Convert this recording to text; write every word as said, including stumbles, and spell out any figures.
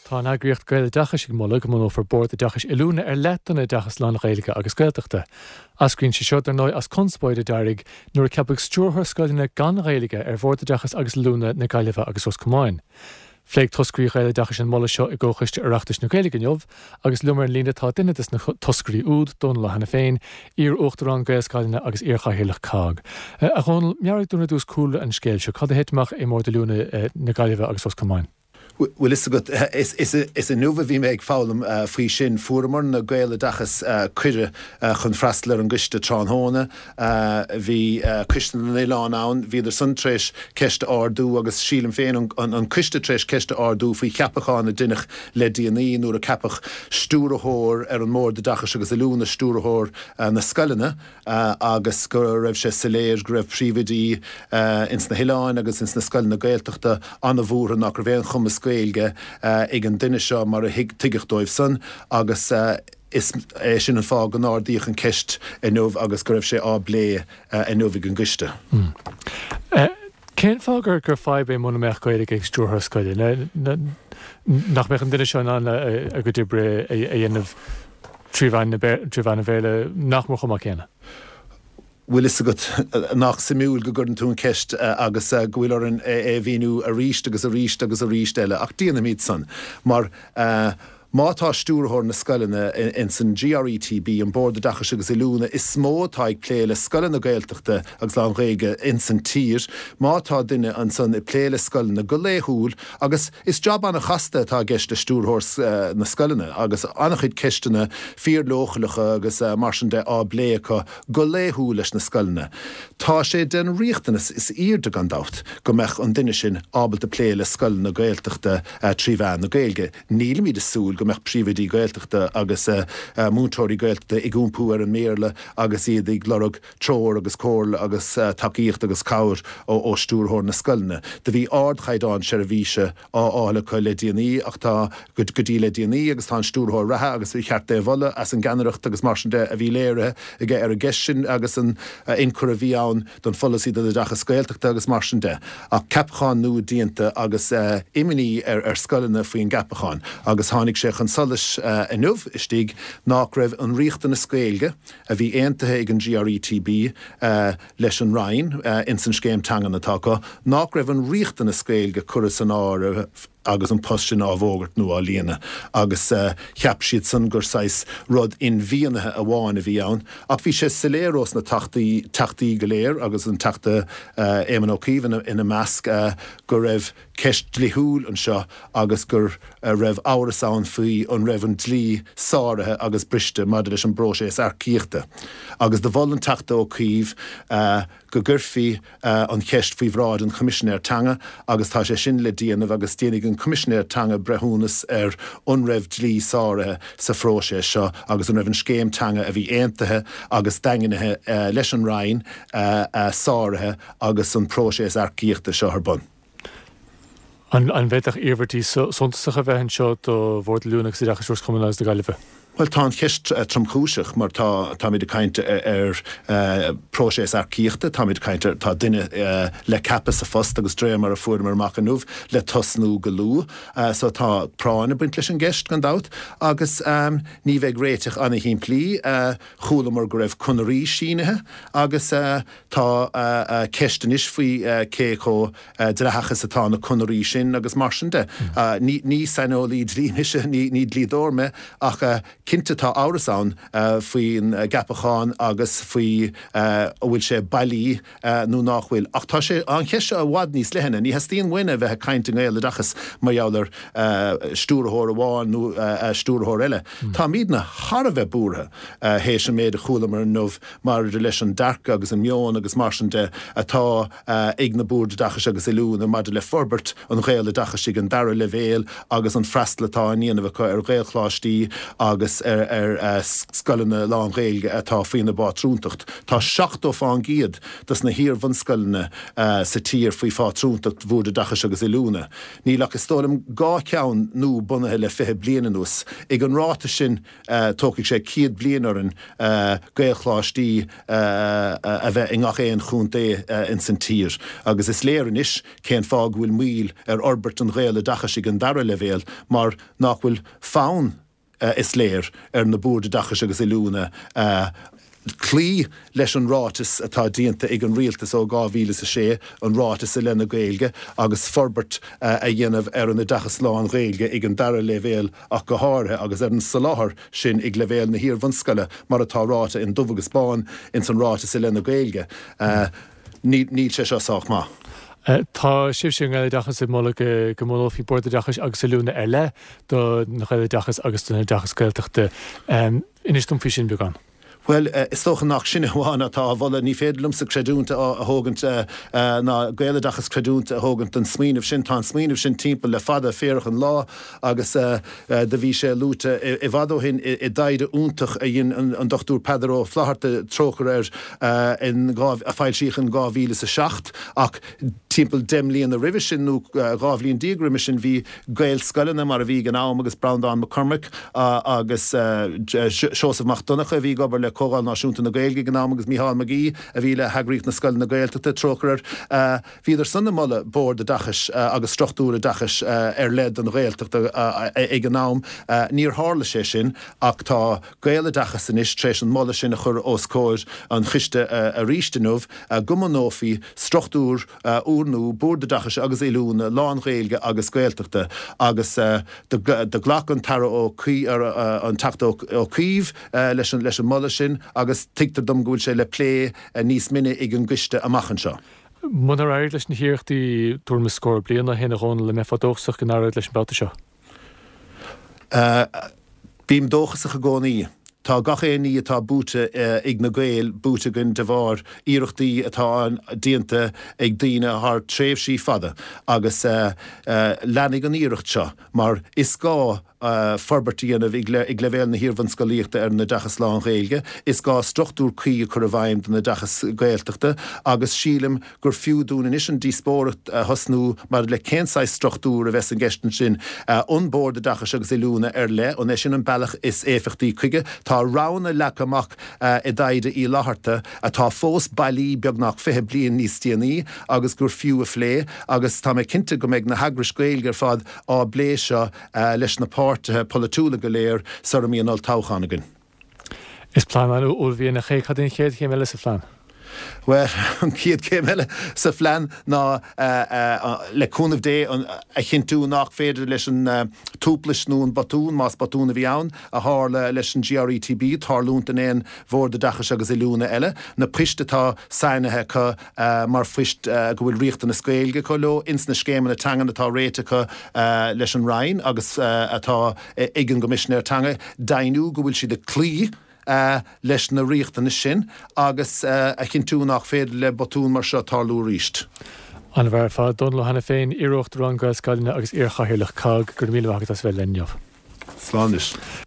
Tá an eagraíocht Gaeloideachais ag moladh go mbunófar Bord Oideachais Oiliúna ar leith don oideachas lán-Ghaeilge agus Gaeltachta. Eascraíonn sé seo dar ndóigh as conspóid a d'éirigh nuair a ceapadh stiúrthóir scoileanna gan Ghaeilge ar Bhord Oideachais agus Oiliúna na Gaillimhe agus Ros Comáin. Phléigh toscairí Ghaeloideachais an moladh seo i gComhchoiste Oireachtais na Gaeilge inniu agus liom ar an líne tá duine des na toscairí úd Dónal Ó hAiniféin, iar-uachtarán Gaelscoileanna agus iar-chathaoirleach COGG. A Dhónaill, meabhraigh dúinn ar dtús cúlra an scéil seo, cad a thit amach i mBord Oiliúna na Gaillimhe agus Ros Comáin. Bhfuil fhios agat is inniu a bhí mé ag foghlaim faoi sin fuaireamar na Gaeloideachas cuireadh chun freastal ar an gcoiste tráthnóna bhí Coiste na nOileán ann bhíodar san tar éis ceist a ardú agus sílim féin an coiste tar éis ceist a ardú faoi cheapachán a deineadh le déanaí nuair a ceapadh stiúrthóir ar an mBord Oideachais agus Oiliúna stiúrthóir na scoileanna agus go raibh sé soiléir go raibh príomhoidí ins na hoileáin agus ins na scoileanna Gaeltachta an-bhuartha nach raibh aon chumas Gaeilge ag an duine seo mar a tuigeadh dóibh san agus is é sin an fáth go n-ardaíodh an ceist inniu agus go raibh sé á bplé inniu ag an gcoiste. Cén fáth gur gur fadhb é muna mbeadh Gaeilge ag stiúrthóir scoile nach mbeadh an duine seo in ann a gcuid oibre a dhéanamh trí mheán an Bhéarla nach mór chomh maith céanna. Bhfuil fhios agat nach suimiúil go gcuireann tú an ceist agus go bhfuil orainn é mhíniú arís agus arís agus arís eile ach déanaimid san mar má tá stiúrthóir na scoileanna in san GRETB an Bord Oideachais agus Oiliúna is mó atá ag plé le scoileanna Gaeltachta agus lán-Ghaeilge in san tír, má tá duine ansan ag plé le scoileanna go laethúil agus is job an-chasta atá i gceist le stiúrthóir na scoileanna agus an-chuid ceisteanna fíorleochaileacha agus mar sin de á bplé acu go laethúil leis na scoileanna. Tá sé den riachtanas is airde gan dabht go mbeadh an duine sin ábalta plé le scoileanna Gaeltachta trí mheán na Gaeilge. Nílimid ag súil go mbeadh príomhoidí Gaeltachta agus múinteoirí Gaeltachta ag iompú ar an mBéarla agus iad ag lorg treoir agus comhairle agus tacaíocht agus cabhair ó ó stiúrthóir na scoileanna. Do bhí ardchaighdeán seirbhíse á fháil acu le déanaí ach tá go dtí le déanaí agus tá an stiúrthóir reatha agus cheart é a mholadh as an gceannaireacht agus mar sin de a bhí léirithe aige ar an gceist sin agus an ionchur a bhí ann don pholasaí don oideachas Gaeltachta agus mar sin de. Ach ceapachán nua déanta agus imní ar ar scoileanna faoin gceapachán agus tháinig sé chun solais inniu istigh nach raibh an riachtanas Gaeilge a bhí aontaithe ag an GRETB leis an Roinn ins an scéim teangan atá acu, nach raibh an riachtanas Gaeilge curtha san áireamh agus an post sin á bhfógairt nó á líonadh agus cheap siad san gur saghas rud inmhianaithe amháin a bhí ann ach bhí sé soiléir ós na teachtaí teachtaí go léir agus an teachta Éamon Ó Cuív ina measc go raibh ceist dlíthiúil anseo agus gur raibh amhras ann faoi an raibh an dlí sáraithe agus briste maidir leis an bpróiseas earcaíochta. Agus do mhol an Teachta Ó Cuív go gcuirfí an cheist faoi bhráid an Choimisinéir Teanga agus tá sé sin le déanamh agus déanfaidh an Coimisinéir Teanga breithiúnas ar an raibh dlí sáraithe sa phróiseas seo agus an raibh an scéim teanga a bhí aontaithe agus daingnithe leis an Roinn sáraithe agus an próiseas earcaíochta seo ar bun. An bhféadfadh iarmhairtí suntasacha a bheith anseo do Bhord Oiliúna agus Oideachais Ros Comáin agus na Gaillimhe? Bhuel tá an cheist tromchúiseach mar tá táimid ag caint ar próiseas earcaíochta, táimid ag caint ar tá duine le ceapadh sa phost agus de réir mar a fuaireamar amach inniu le tosnú go luath. So tá práinn ag baint leis an gceist gan dabht agus ní bheidh réiteach an-shimplí. Chualamar go raibh conairí sínithe agus tá ceist anois faoi cé chomh dleathach is atá na conairí sin agus mar sin de. Ní ní saineolaí dlí mise, ní ní dlíodóir mé ach cinnte tá amhras ann faoin gceapachán agus faoi an bhfuil sé bailí nó nach bhfuil. Ach tá sé an cheist seo i bhfad níos leithne. Ní theastaíonn uainn a bheith ag caint i nGaeloideachas mar gheall ar stiúrthóir amháin nó stiúrthóir eile. Táimidne thar a bheith buartha théis an méid a chualamar inniu maidir leis an dearcadh agus an meon agus mar sin de atá ag na Boird Oideachais agus Oiliúna maidir le forbairt an Ghaeloideachais ag an dara leibhéal agus an freastal atá á ndéanamh acu ar Ghaelcholáistí agus agus ar scoileanna lán-Ghaeilge atá faoina bpátrúntacht. Tá seachtó fán gcéad dos na hiar-bhunscoileanna sa tír faoi phátrúntacht Bhord Oideachais agus Oiliúna. Níl ach is dóigh liom dhá cheann nua bunaithe le fiche bliain anuas. Ag an ráta sin tógfaidh sé céad bliain orainn Gaelcholáistí a bheith i ngach aon chontae ins an tír. Agus is léir anois cén fáth go bhfuil moill ar fhorbairt an Ghaeloideachais ag an dara leibhéal mar nach bhfuil fonn, is léir, ar na Boird Oideachais agus Oiliúna cloí leis an ráiteas atá déanta ag an Rialtas ó dhá mhíle is a sé, an Ráiteas i leith na Gaeilge, agus forbairt a dhéanamh ar an oideachas lán-Ghaeilge ag an dara leibhéal ach go háirithe, agus ar an soláthar sin ag leibhéal na hiar-bhunscoile mar atá ráite in dubh agus bán ins an Ráiteas i leith na Gaeilge. Níl sé seo sách maith. Tá sibhse i nGaeloideachas ag moladh go mbunófaí Bord Oideachais agus Oiliúna ar leith don Ghaeloideachas agus don oideachas Gaeltachta. Inis dom faoi sin beagán. Bhuel, is dócha nach sinne amháin atá á mholadh. Ní féidir liomsa creidiúint a thógaint ná Gaeloideachas creidiúint a thógaint don smaoineamh sin. Tá an smaoineamh sin timpeall le fada féarach an lá agus do bhí sé luaite i bhfad ó shin i dtaighde iontach a dhein an Dochtúir Peadar Ó Flatharta, trócaire air, in a foilsíodh in dhá mhíle is a seacht ach timpeall deich mbliana roimhe sin nó dhá bhliain déag roimhe sin bhí Gaelscoileanna mar a bhí ag an am agus Breandán Mac Cormaic agus Seosamh Mac Donncha a bhí ag obair le Comhdháil Náisiúnta na Gaeilge ag an am agus Mícheál Mag Aoidh a bhí le hEagraíocht na Scoileanna Gaeltachta, trócaire air. Bhíodar san ag moladh Bord Oideachais agus struchtúr oideachais ar leith don Ghaeltacht ag an am. Níor tharla sé sin ach tá Gaeloideachas anois tar éis an moladh sin a chur os comhair an choiste arís inniu, go mbunófaí struchtúr úrnua, Bord Oideachais agus Oiliúna lán-Ghaeilge agus Gaeltachta agus do ghlac an tAire Ó Cuív, an Teachta Ó Cuív leis an moladh sin agus tuigtear dom go bhfuil sé le plé níos mine ag an gcoiste amach anseo. Munar éirigh leis na hiarrachtaí tuairim is scór bliain ó shin, a Dhónaill, an mbeifeá dóchasach go n-éireoidh leis an mbabhta seo? Bím dóchasach i gcónaí. Tá gach aon ní atá buaite ag na Gaeil buaite againn de bharr iarrachtaí atá déanta ag daoine thar tréimhsí fada agus leanfaidh an iarracht seo mar is gá forbairt a dhéanamh ag leibhéal na hiarbhunscolaíochta ar an oideachas lán-Ghaeilge, is gá struchtúr cuí a chur i bhfeidhm don oideachas Gaeltachta agus sílim gur fiú dúinn anois an díospóireacht a thosnú maidir le cén saghas struchtúr a bheas i gceist ansin. An Bord Oideachais agus Oiliúna ar leith, an é sin an bealach is éifeachtaí chuige? Tá roghanna leagtha amach i dtaighde Uí Fhlatharta atá fós bailí beagnach fiche bliain níos déanaí agus gur fiú a phlé agus tá mé cinnte go mbeidh na heagrais Ghaeilge ar fad á bplé seo leis na páirtithe polaitiúla go léir sara mbíonn olltoghchán againn. Is plean an-uaillmhianach é. Cad é an chéad chéim eile sa phlean? Bhuel, an chéad chéim eile sa phlean ná, le cúnamh Dé, a chinntiú nach féidir leis an tuaiplis nó an botún, más botún a bhí ann, a tharla leis an GRETB tarlúint in aon Bhord Oideachais agus Oiliúna eile. Na poist atá sainithe acu mar phoist go bhfuil riachtanas Gaeilge acu leo ins na scéimeanna teangan atá réitithe acu leis an Roinn agus atá ag an gCoimisinéir Teanga, deimhniú go bhfuil siad ag cloí leis na riachtanais sin agus a chinntiú nach féidir le botún mar seo tarlú arís. An-mhaith ar fad. Dónal Ó hAiniféin, iarUachtarán Gaelscoileanna agus iarChathaoirleach cogg, go raibh míle maith agat as bheith linn inniu. Slán anois.